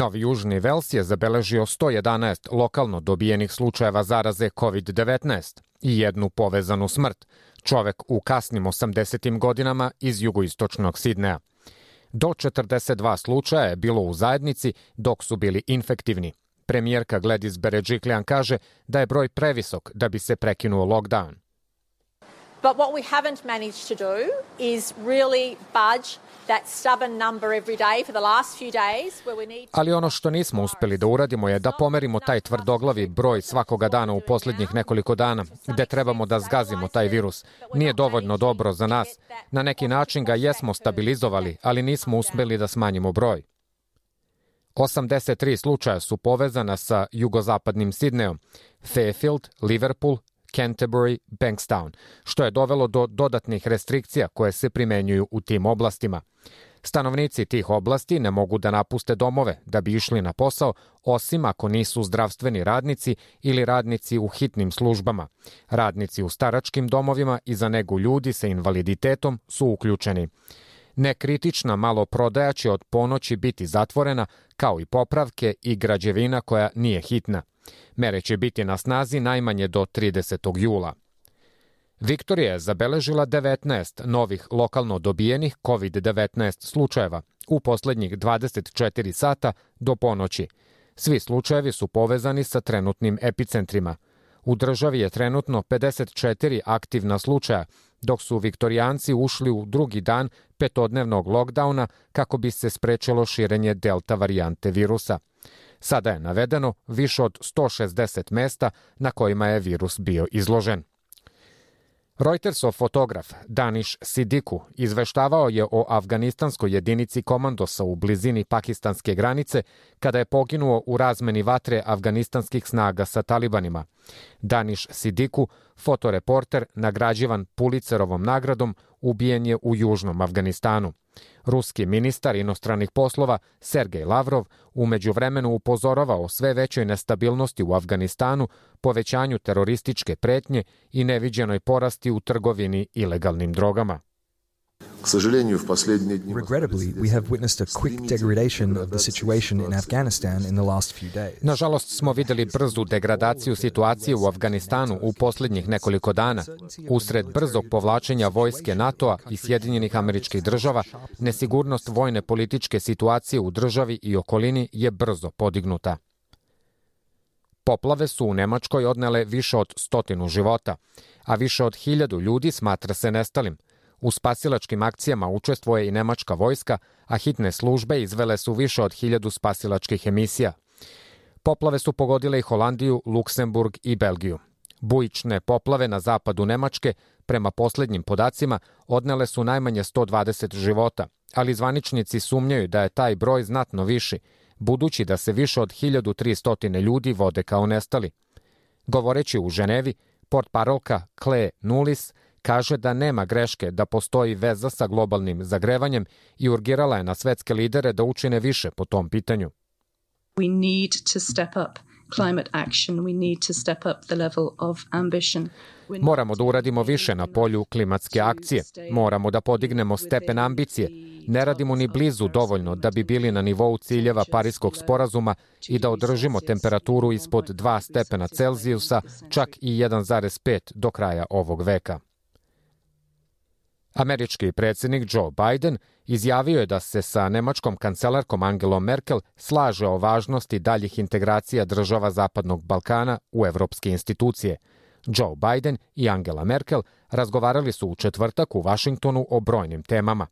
Novi Južni Vels je zabeležio 111 lokalno dobijenih slučajeva zaraze COVID-19 i jednu povezanu smrt, čovek u kasnim 80. godinama iz jugoistočnog Sidneja. Do 42 slučaja je bilo u zajednici dok su bili infektivni. Premijerka Gladys Berejiklian kaže da je broj previsok da bi se prekinuo lockdown. But what we haven't managed to do is really budge that stubborn number every day for the last few days where we need. Ali ono što nismo uspeli da uradimo je da pomerimo taj tvrdoglavi broj svakoga dana u posljednjih nekoliko dana, gde trebamo da zgazimo taj virus. Nije dovoljno dobro za nas. Na neki način ga jesmo stabilizovali, ali nismo uspeli da smanjimo broj. 83 slučaja su povezana sa jugozapadnim Sidnejom, Fairfield, Liverpool, Canterbury, Bankstown, što je dovelo do dodatnih restrikcija koje se primenjuju u tim oblastima. Stanovnici tih oblasti ne mogu da napuste domove da bi išli na posao, osim ako nisu zdravstveni radnici ili radnici u hitnim službama. Radnici u staračkim domovima i za negu ljudi sa invaliditetom su uključeni. Nekritična maloprodaja će od ponoći biti zatvorena, kao i popravke i građevina koja nije hitna. Mere će biti na snazi najmanje do 30. jula. Viktorija je zabeležila 19 novih lokalno dobijenih COVID-19 slučajeva u poslednjih 24 sata do ponoći. Svi slučajevi su povezani sa trenutnim epicentrima. U državi je trenutno 54 aktivna slučaja, dok su Viktorijanci ušli u drugi dan petodnevnog lockdowna kako bi se sprečilo širenje delta varijante virusa. Sada je navedeno više od 160 mesta na kojima je virus bio izložen. Reutersov fotograf Danish Sidiku izveštavao je o afganistanskoj jedinici komandosa u blizini pakistanske granice kada je poginuo u razmeni vatre afganistanskih snaga sa talibanima. Danish Sidiku, fotoreporter nagrađivan Pulitzerovom nagradom, ubijen je u južnom Afganistanu. Ruski ministar inostranih poslova Sergej Lavrov u međuvremenu upozoravao sve većoj nestabilnosti u Afganistanu, povećanju terorističke pretnje i neviđenoj porasti u trgovini ilegalnim drogama. Regrettably, we have witnessed a quick degradation of the situation in Afghanistan in the last few days. Nažalost smo videli brzu degradaciju situacije u Afganistanu u posljednjih nekoliko dana. Usred brzog povlačenja vojske NATO-a i Sjedinjenih Američkih Država, nesigurnost vojne političke situacije u državi i okolini je brzo podignuta. Poplave su u Nemačkoj odnele više od 100 života, a više od 1000 ljudi smatra se nestalim. U spasilačkim akcijama učestvuje i nemačka vojska, a hitne službe izvele su više od 1000 spasilačkih emisija. Poplave su pogodile i Holandiju, Luksemburg i Belgiju. Bujične poplave na zapadu Nemačke, prema posljednjim podacima, odnele su najmanje 120 života, ali zvaničnici sumnjaju da je taj broj znatno viši, budući da se više od 1300 ljudi vode kao nestali. Govoreći u Ženevi, portparolka Claire Nulis kaže da nema greške da postoji veza sa globalnim zagrevanjem i urgirala je na svetske lidere da učine više po tom pitanju. We need to step up climate action. We need to step up the level of ambition. Moramo da uradimo više na polju klimatske akcije. Moramo da podignemo stepen ambicije. Ne radimo ni blizu dovoljno da bi bili na nivou ciljeva Pariskog sporazuma i da održimo temperaturu ispod 2 stepena Celzijusa, čak i 1,5 do kraja ovog veka. Američki predsjednik Joe Biden izjavio je da se sa nemačkom kancelarkom Angelom Merkel slaže o važnosti daljih integracija država Zapadnog Balkana u evropske institucije. Joe Biden i Angela Merkel razgovarali su u četvrtak u Vašingtonu o brojnim temama.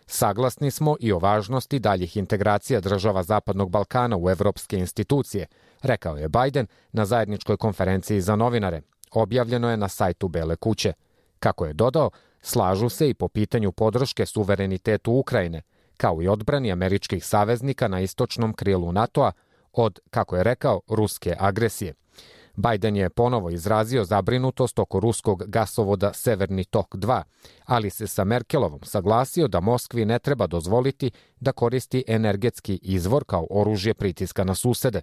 Saglasni smo i o važnosti daljih integracija država Zapadnog Balkana u evropske institucije, rekao je Biden na zajedničkoj konferenciji za novinare. Objavljeno je na sajtu Bele kuće. Kako je dodao, slažu se i po pitanju podrške suverenitetu Ukrajine, kao i odbrani američkih saveznika na istočnom krilu NATO-a od, kako je rekao, ruske agresije. Biden je ponovo izrazio zabrinutost oko ruskog gasovoda Severni tok 2, ali se sa Merkelovom saglasio da Moskvi ne treba dozvoliti da koristi energetski izvor kao oružje pritiska na susede.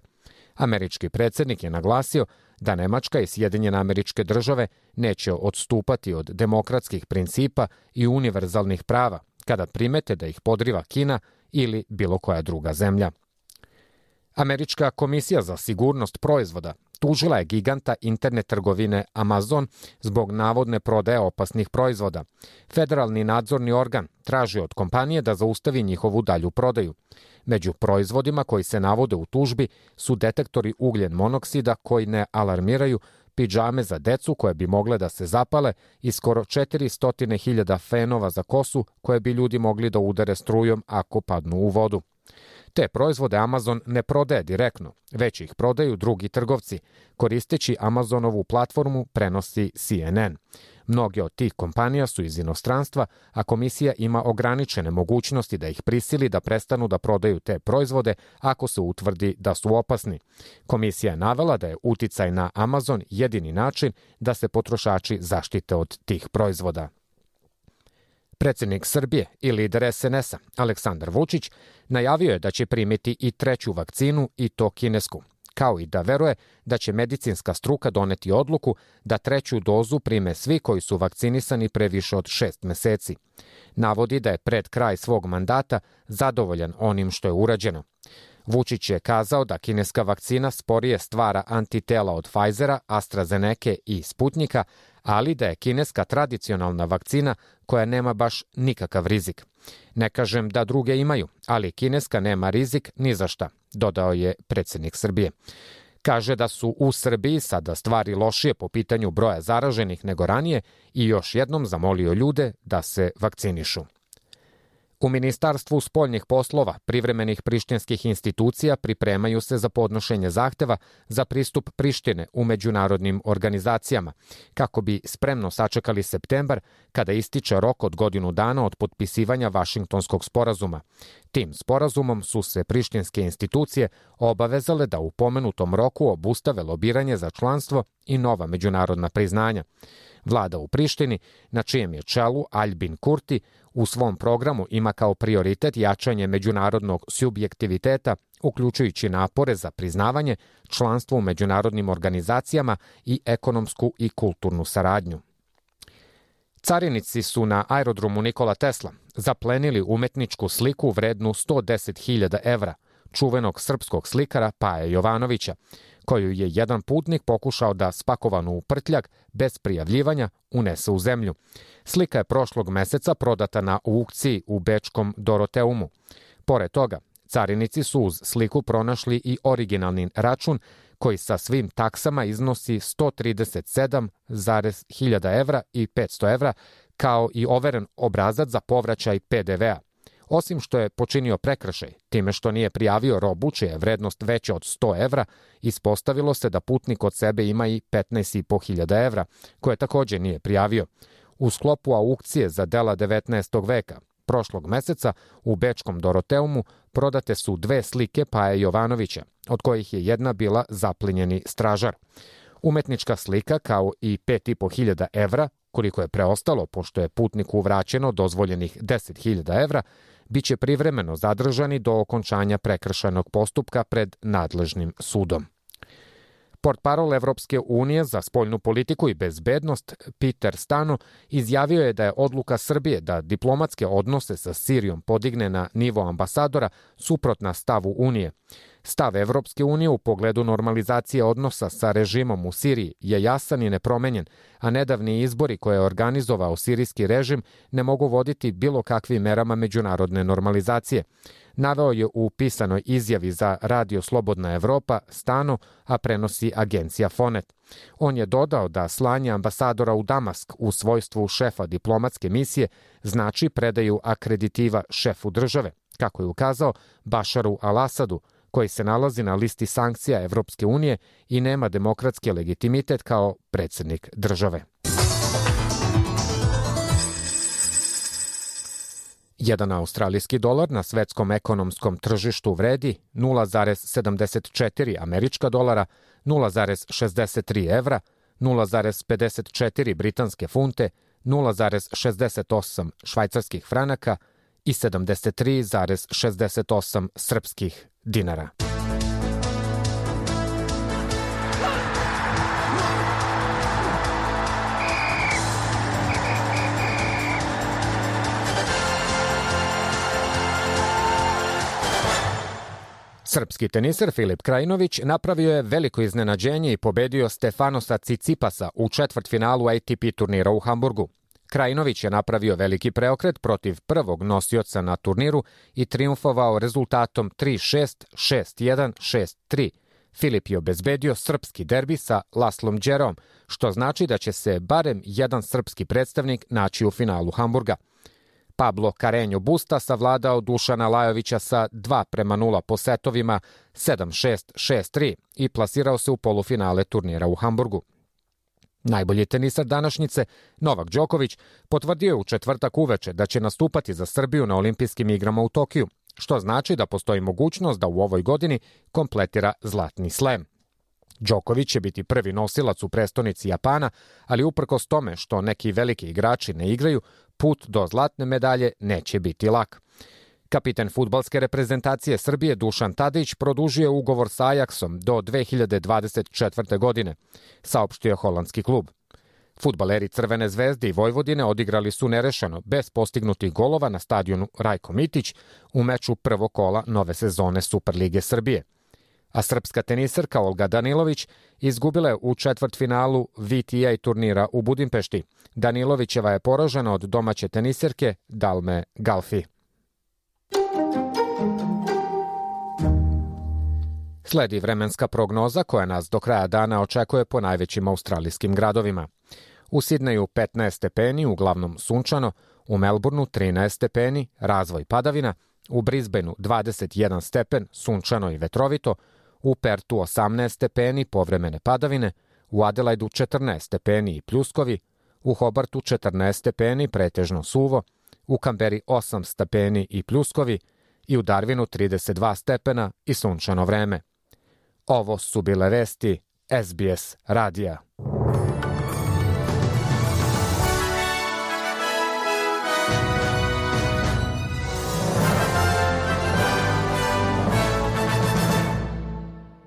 Američki predsjednik je naglasio da Nemačka i Sjedinjene Američke Države neće odstupati od demokratskih principa i univerzalnih prava kada primete da ih podriva Kina ili bilo koja druga zemlja. Američka komisija za sigurnost proizvoda tužila je giganta internet trgovine Amazon zbog navodne prodaje opasnih proizvoda. Federalni nadzorni organ traži od kompanije da zaustavi njihovu dalju prodaju. Među proizvodima koji se navode u tužbi su detektori ugljen monoksida koji ne alarmiraju, pidžame za decu koje bi mogle da se zapale i skoro 400.000 fenova za kosu koje bi ljudi mogli da udare strujom ako padnu u vodu. Te proizvode Amazon ne prodaje direktno, već ih prodaju drugi trgovci. Koristeći Amazonovu platformu, prenosi CNN. Mnoge od tih kompanija su iz inostranstva, a komisija ima ograničene mogućnosti da ih prisili da prestanu da prodaju te proizvode ako se utvrdi da su opasni. Komisija je navela da je uticaj na Amazon jedini način da se potrošači zaštite od tih proizvoda. Predsjednik Srbije i lider SNS-a Aleksandar Vučić najavio je da će primiti i treću vakcinu i to kinesku, kao i da veruje da će medicinska struka doneti odluku da treću dozu prime svi koji su vakcinisani pre više od 6 meseci. Navodi da je pred kraj svog mandata zadovoljan onim što je urađeno. Vučić je kazao da kineska vakcina sporije stvara antitela od Pfizera, AstraZeneca i Sputnika, ali da je kineska tradicionalna vakcina koja nema baš nikakav rizik. Ne kažem da druge imaju, ali kineska nema rizik ni za šta, dodao je predsjednik Srbije. Kaže da su u Srbiji sada stvari lošije po pitanju broja zaraženih nego ranije i još jednom zamolio ljude da se vakcinišu. U Ministarstvu spoljnih poslova privremenih prištinskih institucija pripremaju se za podnošenje zahteva za pristup Prištine u međunarodnim organizacijama, kako bi spremno sačekali septembar kada ističe rok od godinu dana od potpisivanja Vašingtonskog sporazuma. Tim sporazumom su se prištinske institucije obavezale da u pomenutom roku obustave lobiranje za članstvo i nova međunarodna priznanja. Vlada u Prištini, na čijem je čelu Aljbin Kurti, u svom programu ima kao prioritet jačanje međunarodnog subjektiviteta, uključujući napore za priznavanje, članstvo u međunarodnim organizacijama i ekonomsku i kulturnu saradnju. Carinici su na aerodromu Nikola Tesla zaplenili umetničku sliku vrednu 110.000 evra, čuvenog srpskog slikara Paje Jovanovića, koju je jedan putnik pokušao da spakovanu u prtljag bez prijavljivanja unese u zemlju. Slika je prošlog meseca prodata na aukciji u bečkom Doroteumu. Pored toga, carinici su uz sliku pronašli i originalni račun koji sa svim taksama iznosi 137.000 evra i 500 evra, kao i overen obrazac za povraćaj PDV-a. Osim što je počinio prekršaj, time što nije prijavio robu čija je vrednost veća od 100 evra, ispostavilo se da putnik od sebe ima i 15.500 evra, koje također nije prijavio. U sklopu aukcije za dela 19. veka, prošlog meseca u bečkom Doroteumu prodate su 2 slike Paje Jovanovića, od kojih je jedna bila zaplinjeni stražar. Umetnička slika, kao i 5.500 evra, koliko je preostalo pošto je putniku vraćeno dozvoljenih 10.000 evra, biće privremeno zadržani do okončanja prekršajnog postupka pred nadležnim sudom. Portparol Evropske unije za spoljnu politiku i bezbednost Peter Stano izjavio je da je odluka Srbije da diplomatske odnose sa Sirijom podigne na nivo ambasadora suprotna stavu Unije. Stav Evropske unije u pogledu normalizacije odnosa sa režimom u Siriji je jasan i nepromenjen, a nedavni izbori koje je organizovao sirijski režim ne mogu voditi bilo kakvim merama međunarodne normalizacije. Naveo je u pisanoj izjavi za Radio Slobodna Evropa Stano, a prenosi agencija Fonet. On je dodao da slanje ambasadora u Damask u svojstvu šefa diplomatske misije znači predaju akreditiva šefu države, kako je ukazao Bašaru al-Asadu, koji se nalazi na listi sankcija Evropske unije i nema demokratski legitimitet kao predsjednik države. Jedan australijski dolar na svetskom ekonomskom tržištu vredi 0,74 američka dolara, 0,63 evra, 0,54 britanske funte, 0,68 švajcarskih franaka i 73,68 srpskih dinara. Srpski teniser Filip Krajinović napravio je veliko iznenađenje i pobedio Stefanosa Cicipasa u četvrtfinalu ATP turnira u Hamburgu. Krajinović je napravio veliki preokret protiv prvog nosioca na turniru i triumfovao rezultatom 3-6, 6-1, 6-3. Filip je obezbedio srpski derbi sa Laslom Đerom, što znači da će se barem jedan srpski predstavnik naći u finalu Hamburga. Pablo Carreño Busta savladao Dušana Lajovića sa 2-0 po setovima 7-6, 6-3 i plasirao se u polufinale turnira u Hamburgu. Najbolji tenisar današnjice, Novak Đoković, potvrdio je u četvrtak uveče da će nastupati za Srbiju na olimpijskim igrama u Tokiju, što znači da postoji mogućnost da u ovoj godini kompletira zlatni slem. Đoković će biti prvi nosilac u prestonici Japana, ali uprkos tome što neki veliki igrači ne igraju, put do zlatne medalje neće biti lak. Kapiten fudbalske reprezentacije Srbije Dušan Tadić produžio ugovor sa Ajaxom do 2024. godine, saopštio je holandski klub. Fudbaleri Crvene zvezde i Vojvodine odigrali su nerešeno, bez postignutih golova na stadionu Rajko Mitić u meču prvog kola nove sezone Superlige Srbije. A srpska teniserka Olga Danilović izgubila je u četvrtfinalu VTA turnira u Budimpešti. Danilovićeva je poražena od domaće teniserke Dalme Galfi. Sledi vremenska prognoza koja nas do kraja dana očekuje po najvećim australijskim gradovima. U Sidneju 15 stepeni, uglavnom sunčano, u Melbourneu 13 stepeni, razvoj padavina, u Brisbaneu 21 stepen, sunčano i vetrovito, u Pertu 18 stepeni, povremene padavine, u Adelaidu 14 stepeni i pljuskovi, u Hobartu 14 stepeni, pretežno suvo, u Kamberi 8 stepeni i pljuskovi i u Darwinu 32 stepena i sunčano vreme. Ovo su bile vesti SBS radija.